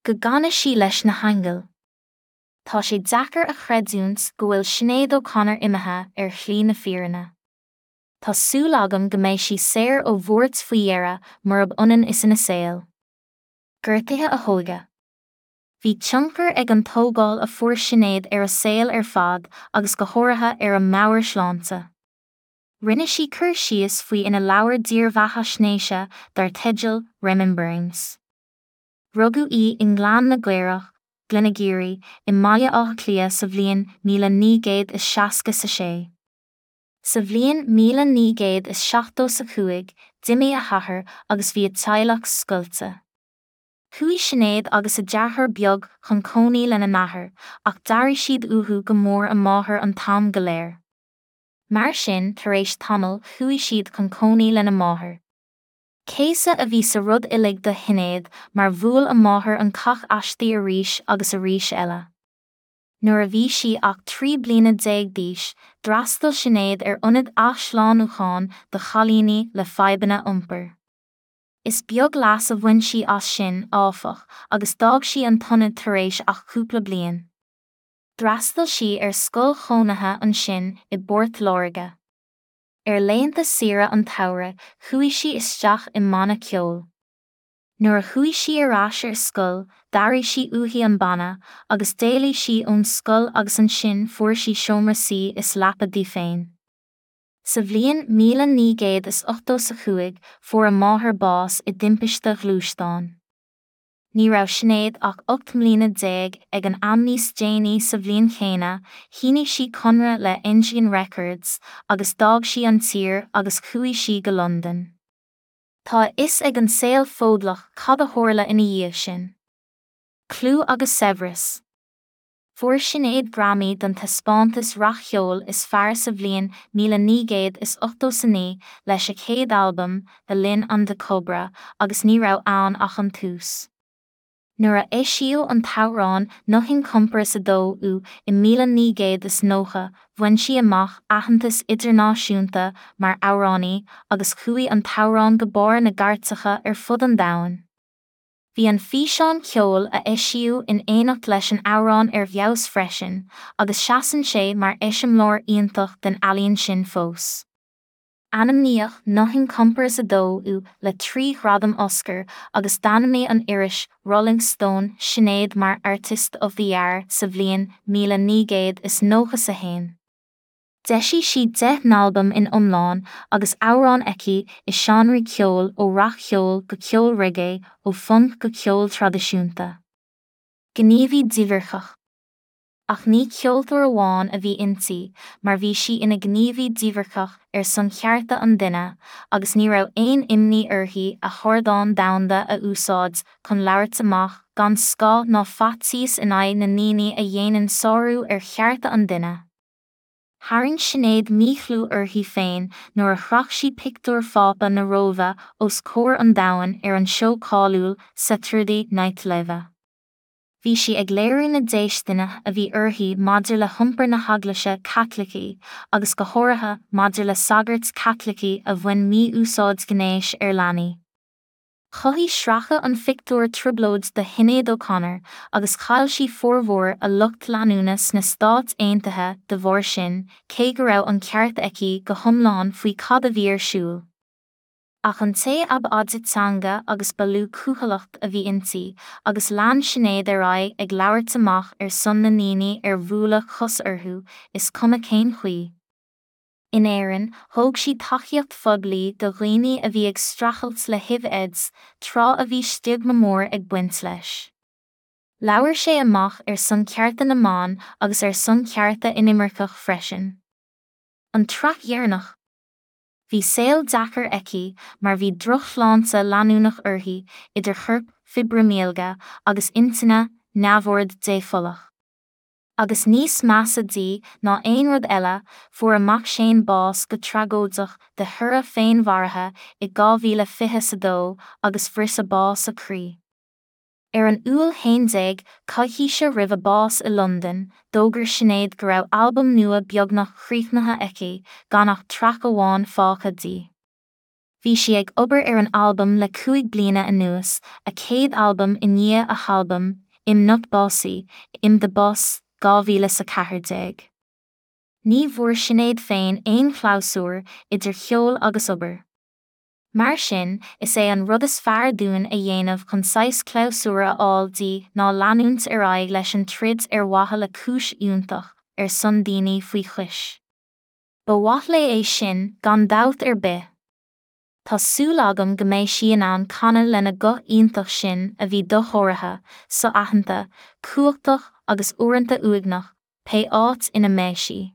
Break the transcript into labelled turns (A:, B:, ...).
A: Go gcana sí leis na haingil. Tá sé deacair a chreidiúint go bhfuil Sinéad O'Connor imithe ar shlí na fírinne. Tá súil agam go mbeidh sí saor ó bhuairt faoi dheireadh murab ionann is ina saol. Gortuithe a hóige. Bhí tionchar ag an tógáil a fuair Sinéad ar a saol ar fad agus go háirithe ar a meabhairshláinte. Rinne sí cur síos faoi ina leabhar dírbheathaisnéise dar teideal Rememberings. Rugadh í i nGleann na gCaorach, Glenageary, i mBaile Átha Cliath sa bhliain 1966. Sa bhliain 1975, d'imigh a hathair agus bhí a teaghlach scoilte. Chuaigh Sinéad agus a deartháir beag chun cónaí lena n-athair, ach d'airigh siad uathu go mór a máthair an t-am go léir. Mar sin, tar éis tamaill, chuaigh siad chun cónaí lena máthair. Céasadh a bhí sa rud uilig do Shinéad mar bhuail a máthair an cac aisti arís agus arís eile. Nuair a bhí sí ach 13 bliana d'aois, d'fhreastail Sinéad ar ionad athshlánúcháin do chailíní le fadhbanna iompair. Is beag leas a bhain sí as sin, áfach, agus d'fhág sí an t-ionad tar éis ach cúpla bliain. D'fhreastail sí ar scoil chónaithe ansin i bPort Láirge. Ar laethanta saoire an tsamhraidh chuaigh sí isteach i mbanna ceoil. Nuair a chuaigh sí ar ais ar scoil d'airigh sí uaithi an banna agus d'éalaigh sí ón scoil agus ansin fuair sí seomra suí is leapa di féin. Sa bhliain 1985 fuair a máthair bás i dtimpiste ghluaisteáin. Ní raibh Sinéad ach 18 mbliana ag an am Níos déanaí sa bhliain chéanna, shínigh sí conradh le Engine Records agus d'fhág sí an tír agus chuaigh sí go Londain. Tá a fhios ag an saol Fódlach cad a tharla ina dhiaidh sin. Clú agus saibhreas. Fuair Sinéad Grammy don taispeántas rac-cheoil is fearr sa bhliain 1989 leis a céad albam, The Lion and the Cobra, agus ní raibh ann ach an tús. Nuair a eisíodh an t-amhrán Nothing Compares 2 You i 1990, bhain sí amach aitheantas idirnáisiúnta mar amhránaí agus chuaigh an t-amhrán go barr na gcairteacha ar fud an domhain. Bhí an físeán ceoil a eisíodh in éineacht leis an amhrán ar fheabhas freisin, agus seasann sé mar eiseamláir iontach den ealaín sin fós. Ainmníodh Nothing Compares 2 You le 3 ghradam Oscar agus d'ainmnigh an iris Rolling Stone Sinéad mar Artist of the Year sa bhliain 1991. D'eisigh sí 10 n-albam in iomlán agus amhráin aici i seánraí ceoil ó rac-cheol go ceol reggae, ó phunc go ceol traidisiúnta. Gníomhaí díbhirceach. Ach ní ceoltóir amháin a bhí inti mar bhí sí ina gníomhaí díbhirceach ar son chearta an duine agus ní raibh aon imní uirthi a hardán domhanda a úsáid chun labhairt amach gan scáth ná faitíos in aghaidh na ndaoine a dhéanann sárú ar chearta an duine. Tharraing Sinéad míchlú uirthi féin nuair a chroch sí pictiúr Phápa na Róimhe os comhair an domhain ar an seó cáiliúil Saturday Night Live. Bhí sí ag léiriú na déistine a bhí uirthi maidir le hiompar na hEaglaise Caitlicí agus go háirithe maidir le sagairt Chaitlicigh a bhain mí-úsáid ghnéis ar leanaí. Chothaigh sracadh an phictiúir trioblóid do Shinéad O'Connor agus chaill sí formhór a lucht leanúna sna Stáit Aontaithe de bharr sin, cé go raibh an ceart aici go hiomlán faoi cad a bhí ar siúl. Ach an té ab fhaide teanga agus ba lú cúthaileacht a bhí inti, agus lean Sinéad ar aghaidh ag labhairt amach ar son na ndaoine ar buaileadh cos orthu, is cuma cén chaoi. In Éirinn, thóg sí tacaíocht phoiblí do dhaoine a bhí ag streachailt le HIV Aids, tráth a bhí stiogma mór ag baint leis. Labhair sé amach ar son cearta na mban agus ar son cearta inimirceach freisin. An tsraith dheireanach. Bhí saol deacair aici mar bhí drochshláinte leanúnach uirthi, idir chorp, fibrimíilge, agus intinne, neamhord dépholach. Agus níos measa di ná aon rud eile, fuair a mac Shane bás go tragóideach de thoradh féinmharaithe i 2022 agus bhris a bás a croí. Ar an Iúil 11, coicíse roimh a bás i Londain, d'fhógair Sinéad go raibh albam nua beagnach críochnaithe aici, gan ach traic amháin fágtha di. Bhí sí ag obair ar an albam le 5 bliana anuas, a céad albam i ndiaidh a halbaim, I'm Not Bossy, I'm the Boss, 2014. Ní bhfuair Sinéad féin aon chlabhsúr idir cheol agus obair. Mar sin, is é an rud is fearr dúinn a dhéanamh chun saghas clabhsúir a fháil di ná leanúint ar aghaidh leis an troid ar mhaithe le cúis fhiúntach, ar son daoine faoi chois. Ba mhaith léi é sin, gan dabht ar bith. Tá súil agam go mbeidh sí in ann canadh lena guth iontach sin a bhí dosháraithe, so-aitheanta, cumhachtach agus uaireanta uaigneach, pé áit ina mbeidh sí.